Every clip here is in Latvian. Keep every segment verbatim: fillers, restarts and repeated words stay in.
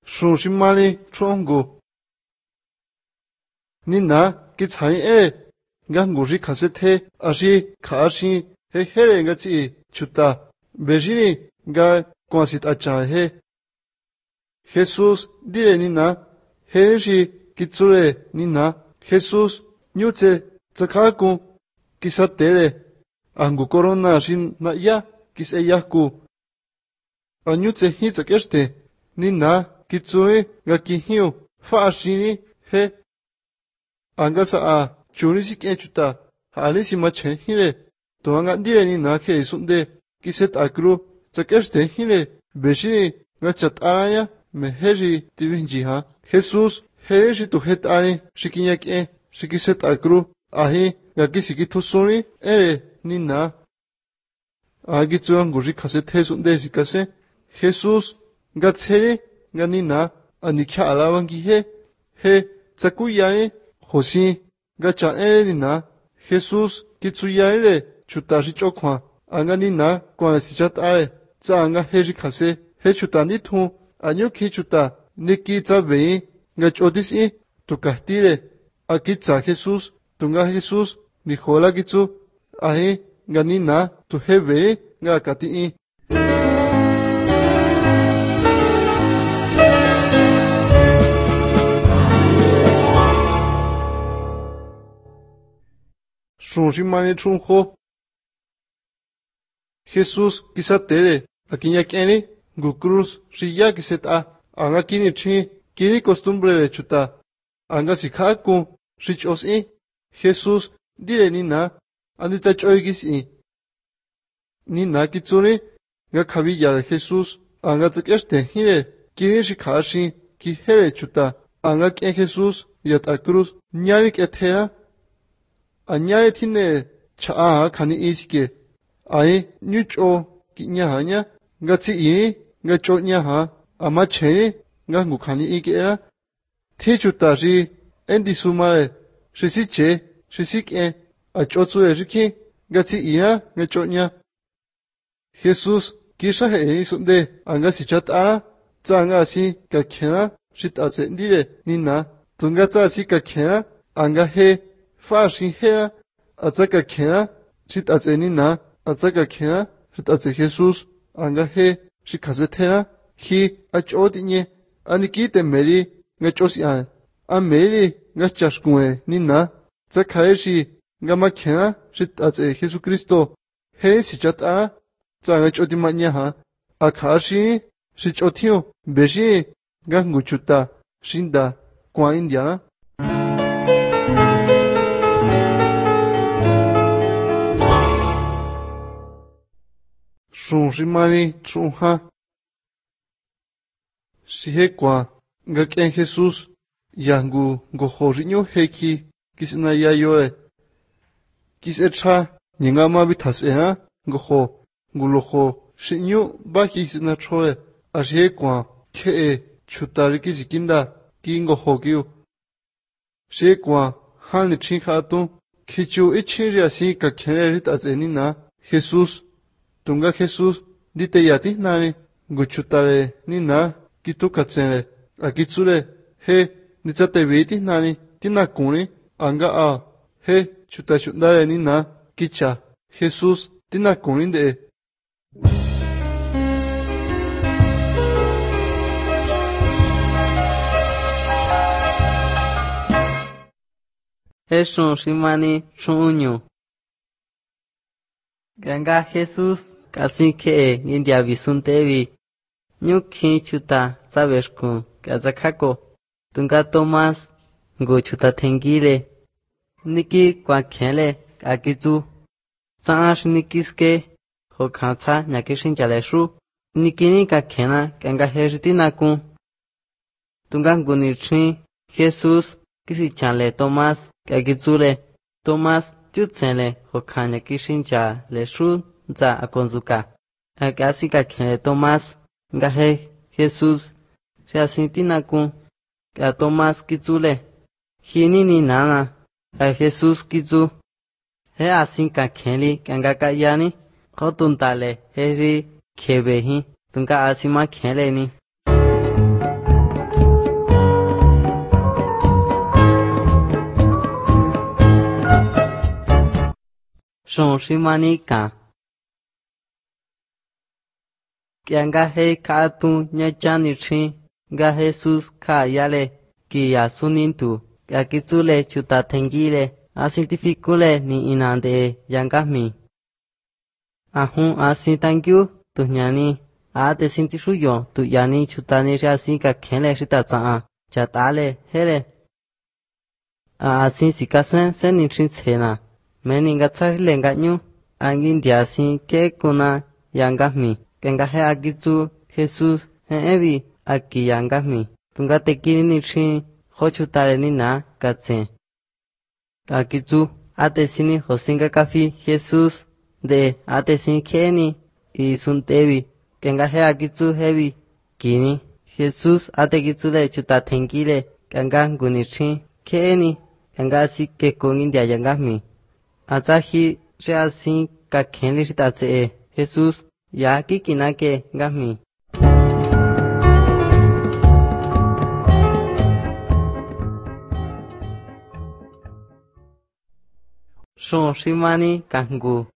Sùng sinh mali trong ngủ. Nina cái trái e ngã ngủ gì khá sẽ thế à gì khá gì he he lên ngã chỉ chuta beji ngã quan sát à cha he Jesus đi lên Nina he gì cái chỗ lên Nina Jesus như thế chắc khá cũng cái sát thế lên anh ngủ corona xin na ya cái sẽ ya cũng anh như thế hi chắc cái thế Nina cái chỗ ấy ngã cái hiu phát sinh he anga sa a chuni si ke chuta hali si ma chen hile to anga dire ni na ke sunde ki set akru chakeste hile beshi nga chat araya me heji tivinji ha Jesus heji to het ari shikinya ke shikiset akru ahi nga ki siki thusoni ere ni na agi chuang guri khase the sunde sikase Jesus nga cheri nga ni na ani kha alawangi he he chakuyani Hosi gacha erina Jesus kitsuyaire chutashi chokwa anganina kwa sichat are cha anga heji khase he chutani thu anyo khi chuta niki chabe nga chodis i to kahtire akitsa Jesus tunga Jesus ni hola kitsu ahe ganina to hebe nga kati i Sùng sinh mani trung ho. Jesus kisa tere, akinya kene, gu cruz, siya kiset a, anga kini chi, kini costumbre de chuta, anga sikha ku, sich os i, Jesus dire nina, andita choigis i. Nina kitsuri, nga kavi yara Jesus, anga tsekeste hire, kini shikashi, ki here chuta, anga kien Jesus, yat a cruz, nyari ketera, Anyaya tine chaa kani isike. Ai nyucho kinya hanya ngatsi i ngacho nya ha ama cheni nga ngu kani ike era. Thi chuta shi endi sumare shisi che shisi ke a chotsu e shiki ngatsi i ha ngacho nya. Jesus kisha he e sunde anga si chat ara tsa anga si ka kena shit a tse ndire nina tunga tsa si ka kena anga he Fashi hea, atzaka kena, sit atzenina, atzaka kena, sit atze Jesus, anga he, shikazetera, hi, achotine, anikite meri, ngachosian, a meri, ngachashkue, nina, zakaeshi, gama kena, sit atze Jesu Christo, he sichat a, zangachotimanya, akashi, sichotio, beji, ganguchuta, shinda, kwa indiana. Sùng sinh mani trung ha. Si he kwa nga kien Jesus yangu go horinyo heki kisina ya yoe. Kis echa nyinga ma bitas e ha go ho gulo ho shinyo ba kisina choe. A si he kwa ke e chutari kisikinda kingo ho kiu. Si he kwa hani chinka atu kichu ichinri asi ka kene rit azeni na Jesus Tunga Jesus dite yati nani guchutare nina kitu katsere akitsure he nichate viti nani tina kuni anga a he chuta chundare nina kicha Jesus tina kuni de Eshon shimani chunyo Ganga Jesus Kasi ke India visuntevi Nyuki chuta sabeshku Kazakako Tunga Thomas Go chuta tengile Niki kwa kele Akizu Saash nikiske Ho kansa nyakishin jaleshu Nikini ka kena Ganga heritina ku Tunga ngunichi Jesus Kisi chale Thomas Kakizule Thomas Chutsele Ho kanya kishin jaleshu za akonzuka akasi ka kene Thomas ngahe Jesus shasintina ku ka Thomas kitsule hini ni nana a Jesus kitsu he asin ka kheli kanga ka yani khotuntale heri khebehi tunka asima kheleni Son shimani ka. Kian ga he ka tu nya chani chin ga Jesus ka yale ki ya sunin tu ya kitsule chuta thengile a cientificule ni inande yanga mi. Ahun a sin thank you tu nyani a te sin tishu yo tu yani chuta ni ja sin ka khenle shita cha cha tale hele. A sin sikasen sen ni chin chena. Meni nga tsari lenga nyu angin dia sin ke kuna yanga mi kenga he agitu Jesus he evi aki yanga mi tunga tekini ni chin khochutare ni na katse agitu ate sini hosinga kafi Jesus de ate sin keni i suntevi kenga he agitu hevi kini Jesus ate gitsule chuta thengile kenga nguni chin keni kenga si ke kongin dia yanga mi Azahi se asin ka khenli shita tse Jesus ya ki kinake gami. Son shimani kangu.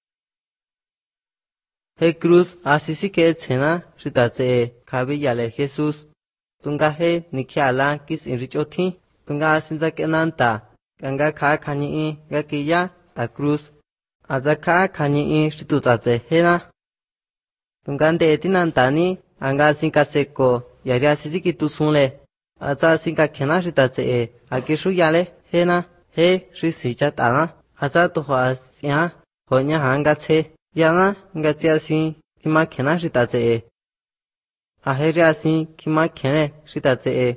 He cruz asisi ke tsena shita tse kabi yale Jesus. Tunga he nikiala kis inrichothi. Tunga asinza kenanta. Ganga ka khani i gakiya. Ta cruz azaka khani i shitutatse hena tungande tinantani anga sinka seko yaria sisiki tusunle aza sinka khena shitatse e akishu yale hena he shisi chatana aza to hasya honya hanga che yana ngatsia sin kima khena shitatse e aheria sin kima khene shitatse e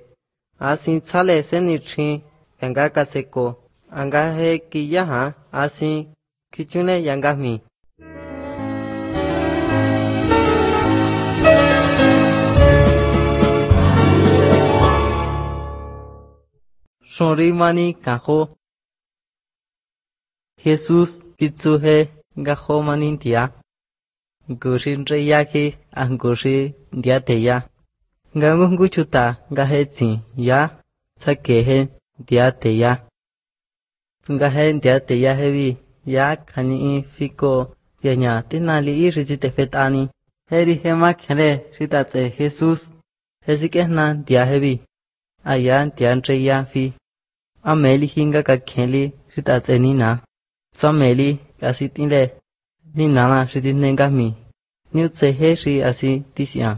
asin chale seni chin anga ka seko anga he kiyaha asin kichune yanga mi. Sonri mani kaho. Jesus kitsu he gaho manin tia. Gushin reya ki angushi dia teya. Gangungu chuta gahe tsi ya sake he dia teya. Tunga he dia teya hevi. Ya khani fiko yanya tinali i rizite fetani heri hema khere ritatse Jesus hesike na dia hebi ayan tian treya fi ameli hinga ka kheli ritatse ni na sameli asitinle ni nana ritinenga mi niu tse he ri asi tisya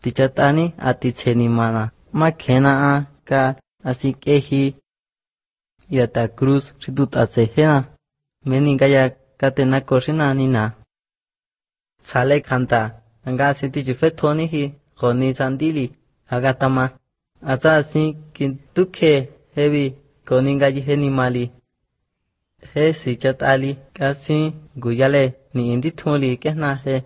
tichatani ati cheni mana ma khena a ka asi kehi yata cruz ritatse hena Meni gaya katena koshina nina. Sale kanta. Anga sinti jufe thoni hi. Khoni sandili. Agatama. Aza sin kintuke hevi. Koni gaji he ni mali. He si chat ali. Kasi guyale ni indi tholi kehna he.